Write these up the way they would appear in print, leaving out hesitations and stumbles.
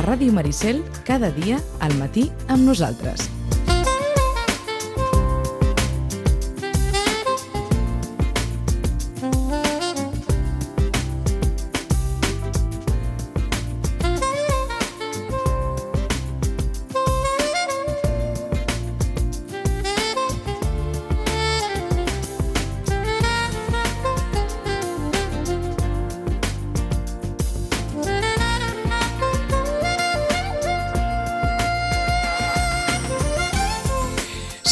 Ràdio Maricel, cada dia, al matí, amb nosaltres.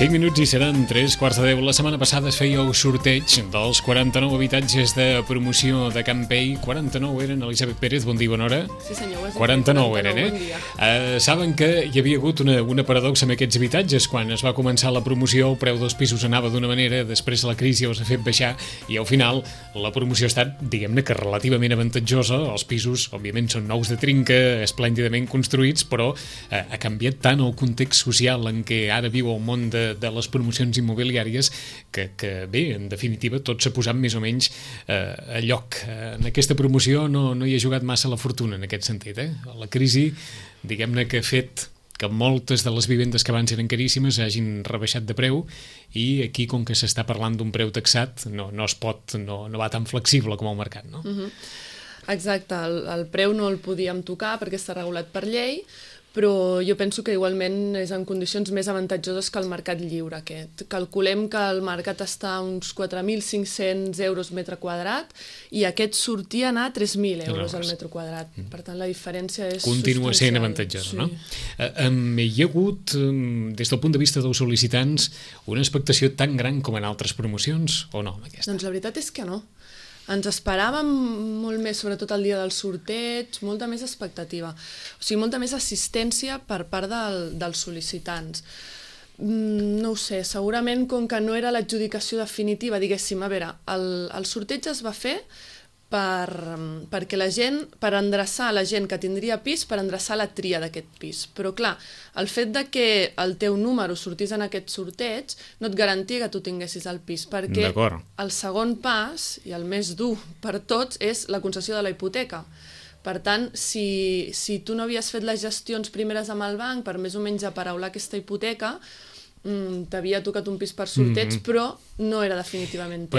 Cinc minuts i seran 3:15. La setmana passada es feia el sorteig dels 49 habitatges de promoció de Campell. 49 eren, Elisabet Pérez, bon dia, bona hora. Sí senyor, 49 eren, saben que hi havia hagut una paradoxa amb aquests habitatges. Quan es va començar la promoció, el preu dels pisos anava d'una manera, després la crisi els ha fet baixar i al final la promoció ha estat, diguem-ne, que relativament avantatjosa. Els pisos, òbviament, són nous de trinca, esplèndidament construïts, però ha canviat tant el context social en què ara viu el món de les promocions immobiliàries que bé, en definitiva, tot s'ha posat més o menys a lloc. En aquesta promoció no hi ha jugat massa la fortuna en aquest sentit. La crisi, diguem-ne, que ha fet que moltes de les vivendes que abans eren caríssimes hagin rebaixat de preu i aquí, com que s'està parlant d'un preu taxat, no va tan flexible com el mercat, no? Exacte, el preu no el podíem tocar perquè està regulat per llei, però jo penso que igualment és en condicions més avantatjoses que el mercat lliure aquest. Calculem que el mercat està a uns 4.500 euros metre quadrat i aquest sortia a anar a 3.000 euros al metre quadrat. Per tant, la diferència és continua sent avantatjosa, no? Hi ha hagut, des del punt de vista dels sol·licitants, una expectació tan gran com en altres promocions, o no, amb aquesta? Doncs la veritat és que no. Ens esperàvem molt més, sobretot el dia del sorteig, molta més expectativa. O sigui, molta més assistència per part dels sol·licitants. No ho sé, segurament com que no era l'adjudicació definitiva, diguéssim, a veure, el sorteig es va fer perquè la gent, per endreçar la gent que tindria pis, per endreçar la tria d'aquest pis. Però clar, el fet de que el teu número sortís en aquest sorteig no et garantia que tu tinguessis el pis, perquè el segon pas, i el més dur per tots, és la concessió de la hipoteca. Per tant, si tu no havies fet les gestions primeres amb el banc per més o menys aparaular aquesta hipoteca, t'havia tocat un pis per sorteig, però no era definitivament teu.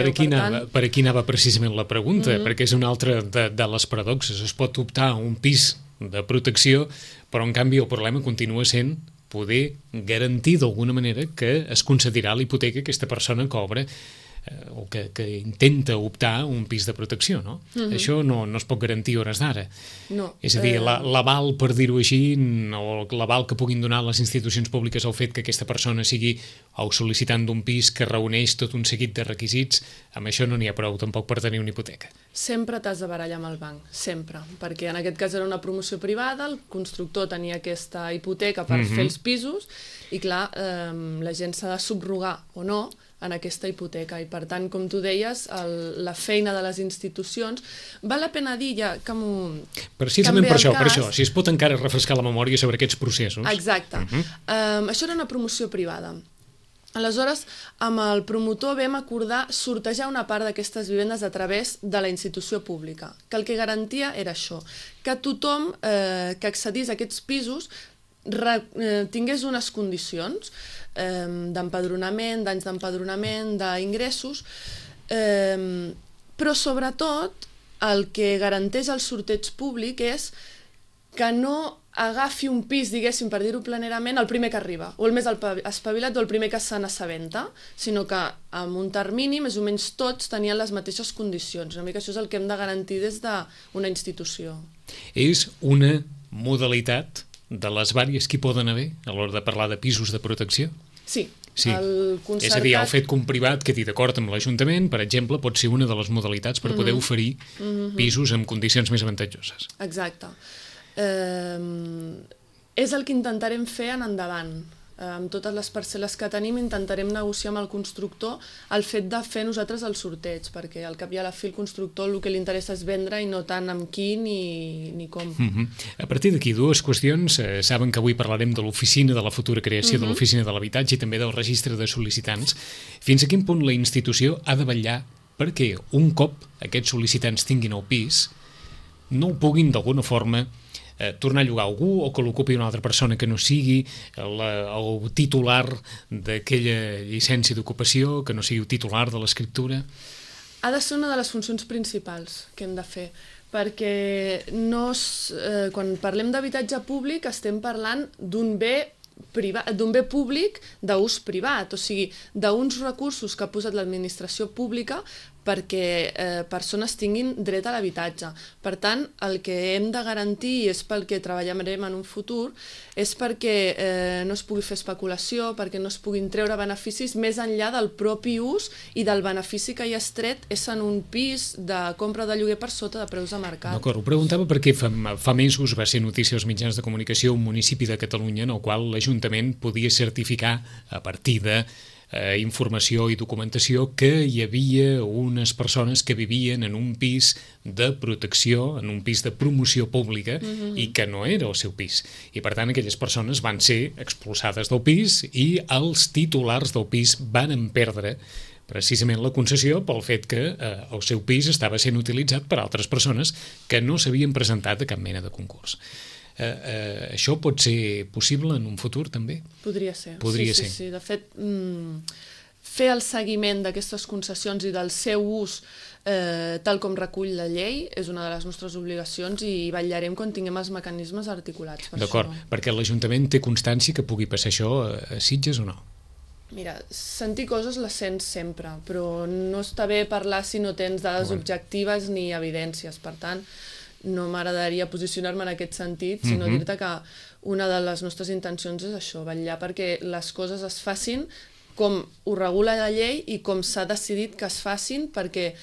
Per aquí anava precisament la pregunta, perquè és una altra de les paradoxes. Es pot optar a un pis de protecció, però en canvi el problema continua sent poder garantir d'alguna manera que es concedirà la hipoteca que aquesta persona cobra o que intenta optar a un pis de protecció, no? Això no es pot garantir a hores d'ara. No. És a dir, l'aval, per dir-ho així, o l'aval que puguin donar les institucions públiques al fet que aquesta persona sigui el sol·licitant d'un pis que reuneix tot un seguit de requisits, amb això no n'hi ha prou tampoc per tenir una hipoteca. Sempre t'has de barallar amb el banc, sempre, perquè en aquest cas era una promoció privada, el constructor tenia aquesta hipoteca per fer els pisos i clar, la gent s'ha de subrogar o no en aquesta hipoteca i per tant, com tu deies, la feina de les institucions, val la pena dir ja que precisament per això, si es pot encara refrescar la memòria sobre aquests processos. Exacte. Això era una promoció privada. Aleshores, amb el promotor vam acordar sortejar una part d'aquestes vivendes a través de la institució pública, que el que garantia era això, que tothom que accedís a aquests pisos tingués unes condicions d'empadronament, d'anys d'empadronament, d'ingressos, però sobretot el que garanteix el sorteig públic és que no agafi un pis, diguéssim, per dir-ho planerament, el primer que arriba, o el més espavilat o el primer que se n'assabenta, sinó que amb un termini més o menys tots tenien les mateixes condicions. Una mica això és el que hem de garantir des d'una institució. És una modalitat de les vàries que hi poden haver a l'hora de parlar de pisos de protecció? Sí. És a dir, el fet que un privat quedi d'acord amb l'Ajuntament, per exemple, pot ser una de les modalitats per poder oferir pisos amb condicions més avantatjoses. Exacte. És el que intentarem fer en endavant. Amb totes les parcel·les que tenim intentarem negociar amb el constructor el fet de fer nosaltres el sorteig, perquè al cap i a la fi el constructor el que li interessa és vendre i no tant amb qui ni com. A partir d'aquí, dues qüestions. Saben que avui parlarem de l'oficina de la futura creació de l'oficina de l'habitatge i també del registre de sol·licitants. Fins a quin punt la institució ha de vetllar perquè un cop aquests sol·licitants tinguin el pis no ho puguin d'alguna forma tornar a llogar algú o que l'ocupi una altra persona que no sigui el titular d'aquella llicència d'ocupació, que no sigui el titular de l'escriptura? Ha de ser una de les funcions principals que hem de fer, perquè quan parlem d'habitatge públic estem parlant d'un bé públic d'ús privat, o sigui, d'uns recursos que ha posat l'administració pública perquè persones tinguin dret a l'habitatge. Per tant, el que hem de garantir, i és pel que treballarem en un futur, és perquè no es pugui fer especulació, perquè no es puguin treure beneficis més enllà del propi ús i del benefici que hi ha tret és en un pis de compra de lloguer per sota de preus de mercat. D'acord, ho preguntava perquè fa mesos va ser notícia als mitjans de comunicació un municipi de Catalunya en el qual l'Ajuntament podia certificar a partir de informació i documentació que hi havia unes persones que vivien en un pis de protecció, en un pis de promoció pública i que no era el seu pis. I per tant aquelles persones van ser expulsades del pis i els titulars del pis van perdre precisament la concessió pel fet que el seu pis estava sent utilitzat per altres persones que no s'havien presentat a cap mena de concurs. Això pot ser possible en un futur també? Podria ser. Sí. De fet, fer el seguiment d'aquestes concessions i del seu ús tal com recull la llei és una de les nostres obligacions i vetllarem quan tinguem els mecanismes articulats per això. D'acord, perquè l'Ajuntament té constància que pugui passar això a Sitges o no? Mira, sentir coses les sents sempre, però no està bé parlar si no tens dades objectives ni evidències. Per tant, no m'agradaria posicionar-me en aquest sentit, sinó dir-te que una de les nostres intencions és això, vetllar perquè les coses es facin com ho regula la llei i com s'ha decidit que es facin, perquè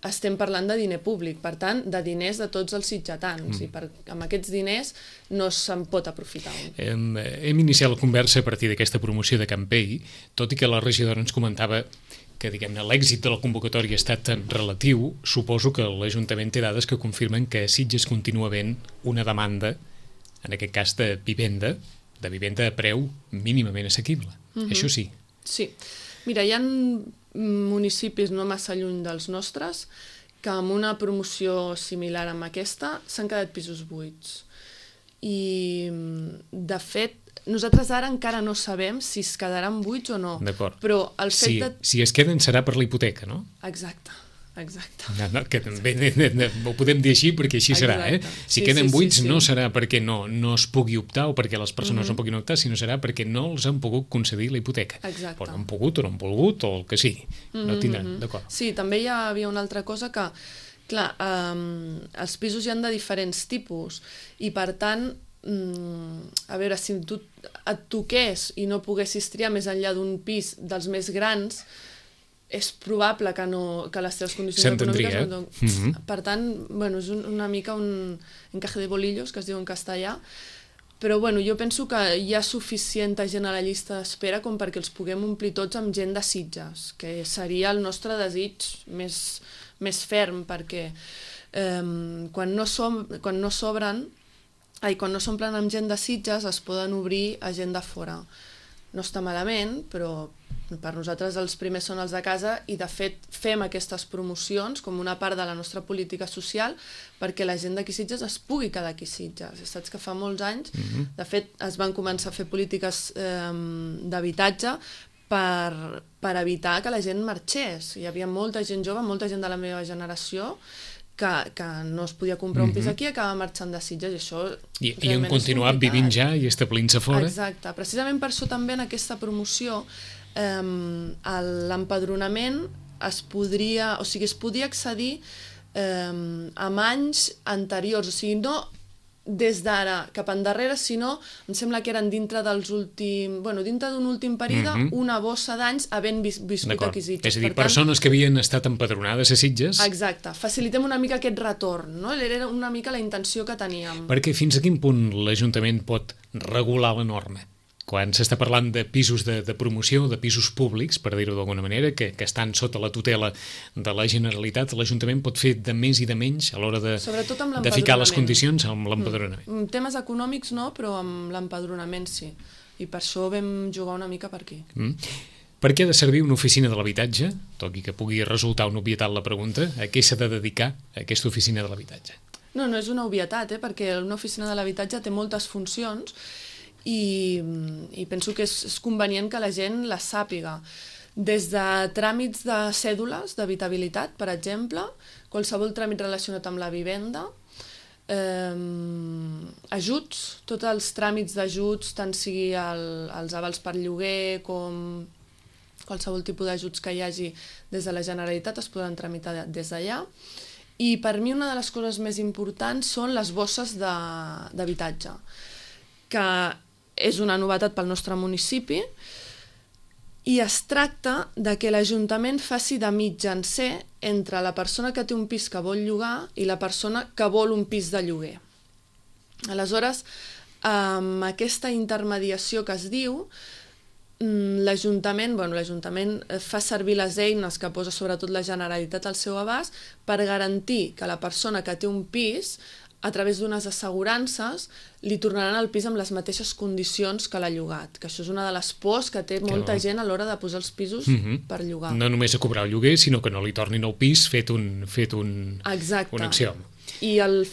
estem parlant de diner públic, per tant, de diners de tots els sitgetans, i amb aquests diners no se'n pot aprofitar. Hem iniciat la conversa a partir d'aquesta promoció de Campell, tot i que la regidora ens comentava que diguem-ne l'èxit de la convocatòria ha estat relatiu. Suposo que l'Ajuntament té dades que confirmen que a Sitges continua havent una demanda, en aquest cas de vivenda a preu mínimament assequible. Això sí. Sí. Mira, hi ha municipis no massa lluny dels nostres que amb una promoció similar amb aquesta s'han quedat pisos buits. I, de fet, nosaltres ara encara no sabem si es quedaran buits o no. D'acord. Però el fet si es queden serà per la hipoteca, no? Exacte. Que també ho podem dir així perquè així serà. Si queden buits no serà perquè no es pugui optar o perquè les persones no puguin optar, sinó serà perquè no els han pogut concedir la hipoteca. Exacte. O no han pogut o no han volgut o el que sigui. No tindran, d'acord. Sí, també hi havia una altra cosa que, clar, els pisos hi han de diferents tipus i per tant, a veure, si tu et toqués i no poguessis triar més enllà d'un pis dels més grans, és probable que les teves condicions econòmiques no... Per tant, bueno, és una mica un encaje de bolillos, que es diu en castellà, però bueno, jo penso que hi ha suficient gent a la llista d'espera com perquè els puguem omplir tots amb gent de Sitges, que seria el nostre desig més ferm, perquè quan no s'omplen amb gent de Sitges es poden obrir a gent de fora. No està malament, però per nosaltres els primers són els de casa i de fet fem aquestes promocions com una part de la nostra política social perquè la gent d'aquí Sitges es pugui quedar aquí Sitges. Saps que fa molts anys, de fet, es van començar a fer polítiques d'habitatge per evitar que la gent marxés. Hi havia molta gent jove, molta gent de la meva generació que no es podia comprar un pis aquí i acaba marxant de Sitges i això I han continuat vivint ja i establint-se fora. Exacte, precisament per això també en aquesta promoció l'empadronament es podia accedir amb anys anteriors, o sigui, no des d'ara cap endarrere, sinó, em sembla que eren dintre d'un últim període, una bossa d'anys havent viscut aquí Sitges. És a dir, persones que havien estat empadronades a Sitges. Exacte, facilitem una mica aquest retorn, no? Era una mica la intenció que teníem. Perquè fins a quin punt l'Ajuntament pot regular la norma? Quan s'està parlant de pisos de promoció, de pisos públics, per dir-ho d'alguna manera, que estan sota la tutela de la Generalitat, l'Ajuntament pot fer de més i de menys a l'hora de ficar les condicions amb l'empadronament. Temes econòmics no, però amb l'empadronament sí. I per això vam jugar una mica per aquí. Per què ha de servir una oficina de l'habitatge? Tot i que pugui resultar una obvietat la pregunta, a què s'ha de dedicar aquesta oficina de l'habitatge? No és una obvietat, perquè una oficina de l'habitatge té moltes funcions i penso que és convenient que la gent les sàpiga. Des de tràmits de cèdules d'habitabilitat, per exemple, qualsevol tràmit relacionat amb la vivenda, ajuts, tots els tràmits d'ajuts, tant sigui els avals per lloguer com qualsevol tipus d'ajuts que hi hagi des de la Generalitat es podran tramitar des d'allà. I per mi una de les coses més importants són les bosses d'habitatge, que és una novetat pel nostre municipi, i es tracta de que l'Ajuntament faci de mitjancer entre la persona que té un pis que vol llogar i la persona que vol un pis de lloguer. Aleshores, amb aquesta intermediació que es diu, l'Ajuntament fa servir les eines que posa sobretot la Generalitat al seu abast per garantir que la persona que té un pis, a través d'unes assegurances, li tornaran el pis amb les mateixes condicions que l'ha llogat, que això és una de les pors que té molta gent a l'hora de posar els pisos per llogar. No només a cobrar el lloguer, sinó que no li tornin el pis fet un axiom. I el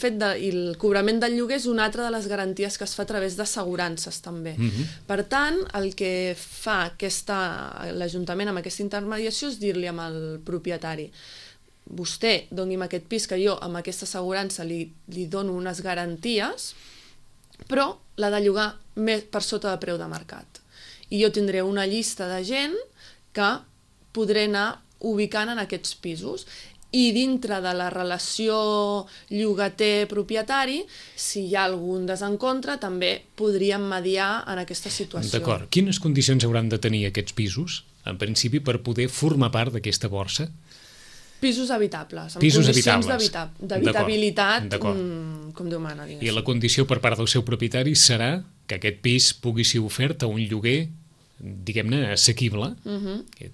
cobrament del lloguer és una altra de les garanties que es fa a través d'assegurances també. Per tant, el que fa l'Ajuntament amb aquesta intermediació és dir-li al propietari: vostè doni'm aquest pis que jo amb aquesta assegurança li dono unes garanties, però l'ha de llogar per sota de preu de mercat. I jo tindré una llista de gent que podré anar ubicant en aquests pisos. I dintre de la relació llogater-propietari, si hi ha algun desencontre, també podríem mediar en aquesta situació. D'acord. Quines condicions hauran de tenir aquests pisos, en principi, per poder formar part d'aquesta borsa? Pisos habitables, amb pisos condicions d'habitabilitat, com Déu mana. I la condició per part del seu propietari serà que aquest pis pugui ser ofert a un lloguer, diguem-ne, assequible.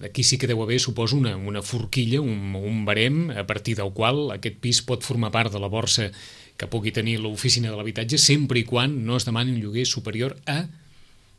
Aquí sí que deu haver, suposo, una forquilla, un barem, a partir del qual aquest pis pot formar part de la borsa que pugui tenir l'oficina de l'habitatge, sempre i quan no es demani un lloguer superior a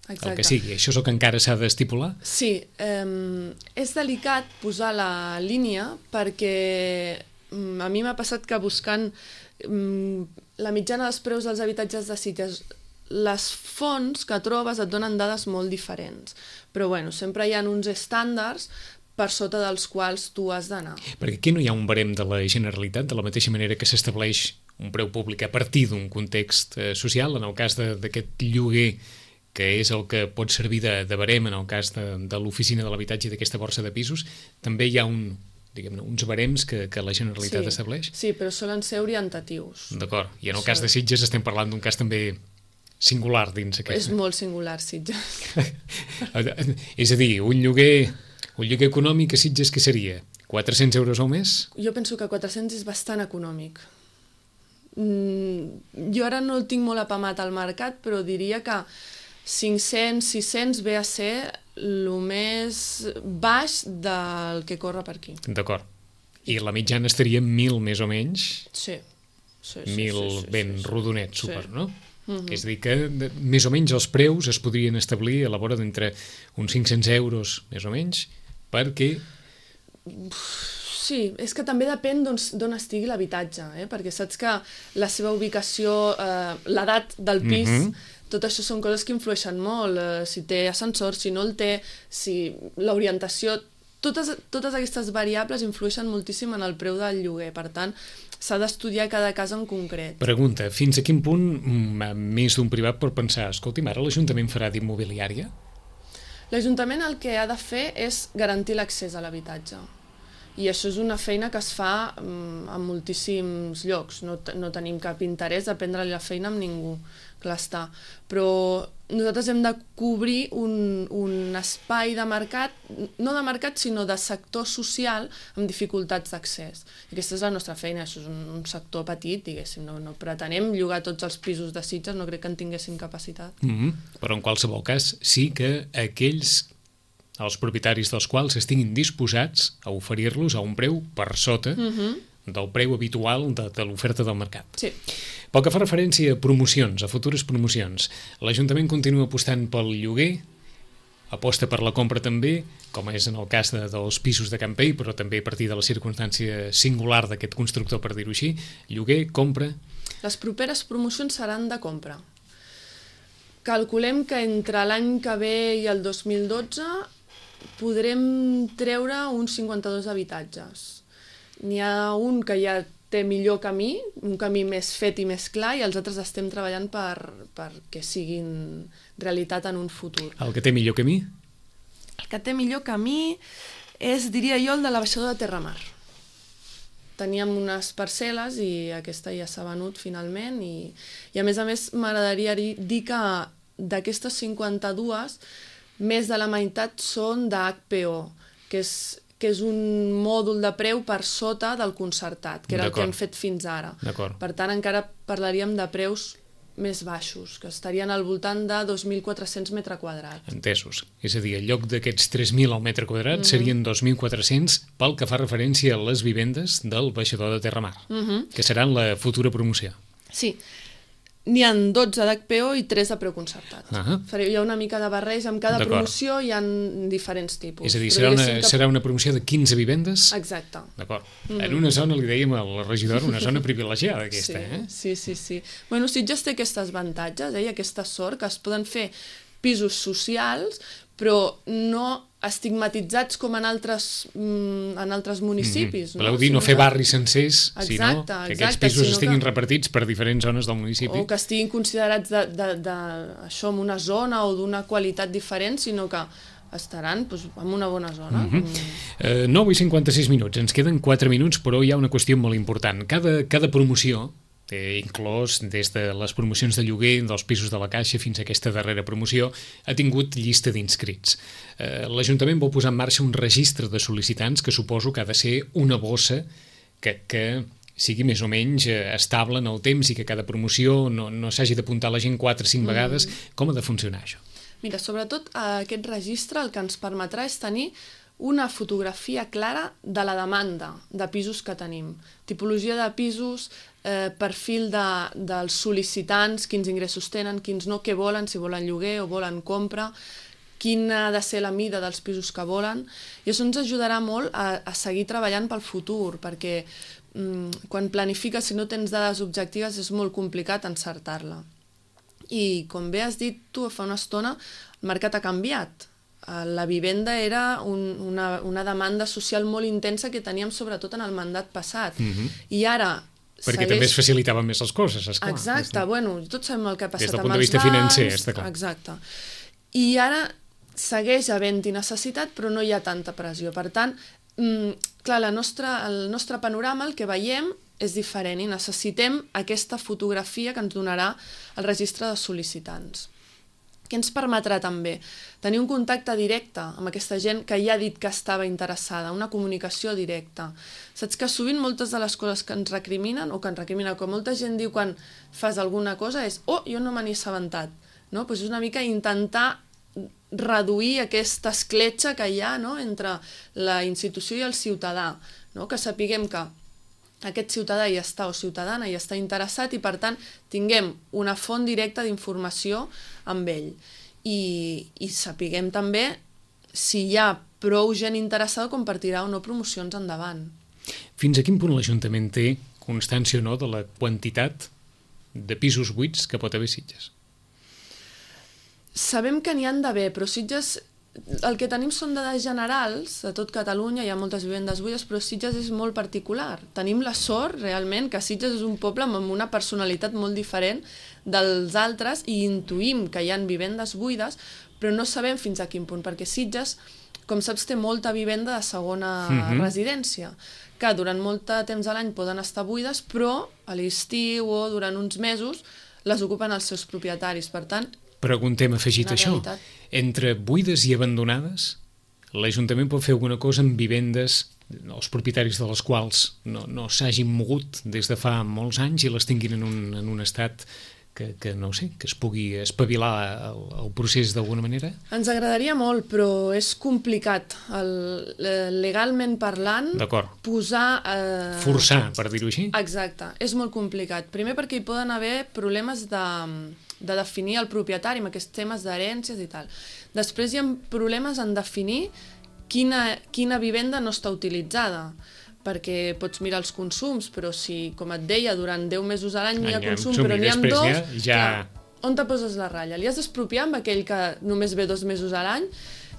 el que sigui. Això és el que encara s'ha d'estipular? Sí, és delicat posar la línia perquè a mi m'ha passat que buscant la mitjana dels preus dels habitatges de Sitges, les fonts que trobes et donen dades molt diferents, però sempre hi ha uns estàndards per sota dels quals tu has d'anar. Perquè aquí no hi ha un barem de la Generalitat, de la mateixa manera que s'estableix un preu públic a partir d'un context social, en el cas d'aquest lloguer que és el que pot servir de barem en el cas de l'oficina de l'habitatge i d'aquesta borsa de pisos, també hi ha uns barems que la Generalitat estableix? Sí, però solen ser orientatius. D'acord, i en el cas de Sitges estem parlant d'un cas també singular dins aquest. És molt singular, Sitges. És a dir, un lloguer econòmic a Sitges què seria? 400 euros al mes? Jo penso que 400 és bastant econòmic. Jo ara no el tinc molt apamat al mercat, però diria que 500, 600 ve a ser el més baix del que corre per aquí. D'acord. I la mitjana estaria 1.000 més o menys? Sí. 1.000 ben rodonet, super, no? És a dir, que més o menys els preus es podrien establir a la vora d'entre uns 500 euros, més o menys, perquè... Sí, és que també depèn d'on estigui l'habitatge, perquè saps que la seva ubicació, l'edat del pis, tot això són coses que influeixen molt, si té ascensor, si no el té, si l'orientació... Totes aquestes variables influeixen moltíssim en el preu del lloguer, per tant, s'ha d'estudiar cada cas en concret. Pregunta, fins a quin punt més d'un privat pot pensar, escolti'm, ara l'Ajuntament farà d'immobiliària? L'Ajuntament el que ha de fer és garantir l'accés a l'habitatge. I això és una feina que es fa en moltíssims llocs. No tenim cap interès a prendre la feina amb ningú, clar està. Però nosaltres hem de cobrir un espai de mercat, no de mercat, sinó de sector social amb dificultats d'accés. Aquesta és la nostra feina, això és un sector petit, diguéssim. No pretenem llogar tots els pisos de Sitges, no crec que en tinguéssim capacitat. Però en qualsevol cas sí que els propietaris dels quals estiguin disposats a oferir-los a un preu per sota del preu habitual de l'oferta del mercat. Sí. Pel que fa referència a promocions, a futures promocions, l'Ajuntament continua apostant pel lloguer, aposta per la compra també, com és en el cas dels pisos de Campell, però també a partir de la circumstància singular d'aquest constructor, per dir-ho així, lloguer, compra... Les properes promocions seran de compra. Calculem que entre l'any que ve i el 2012 podrem treure uns 52 habitatges. N'hi ha un que ja té millor camí, un camí més fet i més clar, i els altres estem treballant perquè siguin realitat en un futur. El que té millor camí? El que té millor camí és, diria jo, el de la baixador de Terramar. Teníem unes parcel·les i aquesta ja s'ha venut finalment i a més m'agradaria dir que d'aquestes 52, més de la meitat són d'HPO, que és un mòdul de preu per sota del concertat, que era el que hem fet fins ara. Per tant, encara parlaríem de preus més baixos, que estarien al voltant de 2.400 metres quadrats. Entesos. És a dir, en lloc d'aquests 3.000 al metre quadrat serien 2.400 pel que fa referència a les vivendes del baixador de Terramar, que seran la futura promoció. Sí. N'hi ha 12 d'HPO i 3 de preu concertat. Hi ha una mica de barreig, amb cada promoció hi ha diferents tipus. És a dir, serà una promoció de 15 vivendes? Exacte. D'acord. En una zona, li dèiem a la regidora, una zona privilegiada aquesta, Sí. Bueno, Sitges té aquests avantatges, i aquesta sort, que es poden fer pisos socials, però no estigmatitzats com en altres municipis. Voleu dir, no fer barris sencers, sinó que aquests pisos estiguin repartits per diferents zones del municipi. O que estiguin considerats això en una zona o d'una qualitat diferent, sinó que estaran en una bona zona. 9:56 minuts, ens queden 4 minuts, però hi ha una qüestió molt important. Cada promoció, inclòs des de les promocions de lloguer dels pisos de la Caixa fins a aquesta darrera promoció, ha tingut llista d'inscrits. L'Ajuntament vol posar en marxa un registre de sol·licitants que suposo que ha de ser una bossa que sigui més o menys estable en el temps i que cada promoció no s'hagi d'apuntar la gent 4 o 5 vegades. Com ha de funcionar això? Mira, sobretot aquest registre el que ens permetrà és tenir una fotografia clara de la demanda de pisos que tenim. Tipologia de pisos, perfil dels sol·licitants, quins ingressos tenen, quins no, què volen, si volen lloguer o volen compra, quina ha de ser la mida dels pisos que volen. I això ens ajudarà molt a seguir treballant pel futur, perquè quan planifiques, si no tens dades objectives, és molt complicat encertar-la. I com bé has dit tu fa una estona, el mercat ha canviat. La vivenda era una demanda social molt intensa que teníem sobretot en el mandat passat. I ara perquè també es facilitaven més les coses, esclar. Exacte, bueno, tots sabem el que ha passat amb els bancs. Des del punt de vista financer, està clar. Exacte. I ara segueix havent-hi necessitat, però no hi ha tanta pressió. Per tant, clar, el nostre panorama, el que veiem, és diferent i necessitem aquesta fotografia que ens donarà el registre de sol·licitants. Què ens permetrà també? Tenir un contacte directe amb aquesta gent que ja ha dit que estava interessada, una comunicació directa. Saps que sovint moltes de les coses que ens recriminen, com molta gent diu quan fas alguna cosa, és jo no me n'he assabentat. És una mica intentar reduir aquesta escletxa que hi ha entre la institució i el ciutadà, que sapiguem que aquest ciutadà hi està o ciutadana hi està interessat i, per tant, tinguem una font directa d'informació amb ell. I sapiguem també si hi ha prou gent interessada com per tirar o no promocions endavant. Fins a quin punt l'Ajuntament té constància o no de la quantitat de pisos buits que pot haver a Sitges? Sabem que n'hi han d'haver, però Sitges... El que tenim són dades generals, de tot Catalunya hi ha moltes vivendes buides, però Sitges és molt particular. Tenim la sort, realment, que Sitges és un poble amb una personalitat molt diferent dels altres i intuïm que hi ha vivendes buides, però no sabem fins a quin punt, perquè Sitges, com saps, té molta vivenda de segona residència, que durant molt de temps a l'any poden estar buides, però a l'estiu o durant uns mesos les ocupen els seus propietaris. Per tant, preguntem afegit això. Entre buides i abandonades, l'Ajuntament pot fer alguna cosa amb vivendes, els propietaris de les quals no s'hagin mogut des de fa molts anys i les tinguin en un estat que no sé, que es pugui espavilar el procés d'alguna manera? Ens agradaria molt, però és complicat. Legalment parlant, posar... Forçar, per dir-ho així? Exacte, és molt complicat. Primer perquè hi poden haver problemes de definir el propietari amb aquests temes d'herències i tal. Després hi ha problemes en definir quina vivenda no està utilitzada, perquè pots mirar els consums, però si, com et deia, durant 10 mesos a l'any n'hi ha consum, però i n'hi ha després dos, ja... on te poses la ratlla? Li has d'expropiar amb aquell que només ve 2 mesos a l'any?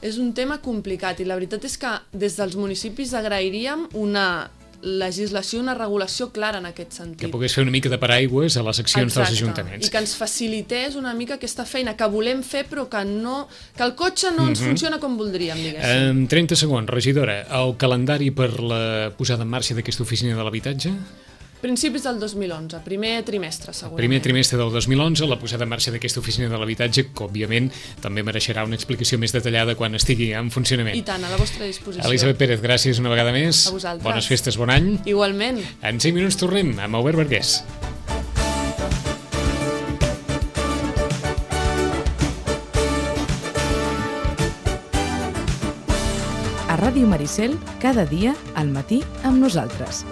És un tema complicat i la veritat és que des dels municipis agrairíem una legislació, una regulació clara en aquest sentit. Que pogués fer una mica de paraigües a les accions dels ajuntaments. I que ens facilités una mica aquesta feina que volem fer però que el cotxe no ens funciona com voldríem, diguéssim. En 30 segons, regidora, el calendari per la posada en marxa d'aquesta oficina de l'habitatge? Principis del 2011, primer trimestre, segurament. Primer trimestre del 2011, la posada en marxa d'aquesta oficina de l'habitatge, que òbviament també mereixerà una explicació més detallada quan estigui en funcionament. I tant, a la vostra disposició. Elisabet Pérez, gràcies una vegada més. A vosaltres. Bones festes, bon any. Igualment. En 5 minuts tornem amb Albert Vergés. A Ràdio Maricel, cada dia, al matí, amb nosaltres.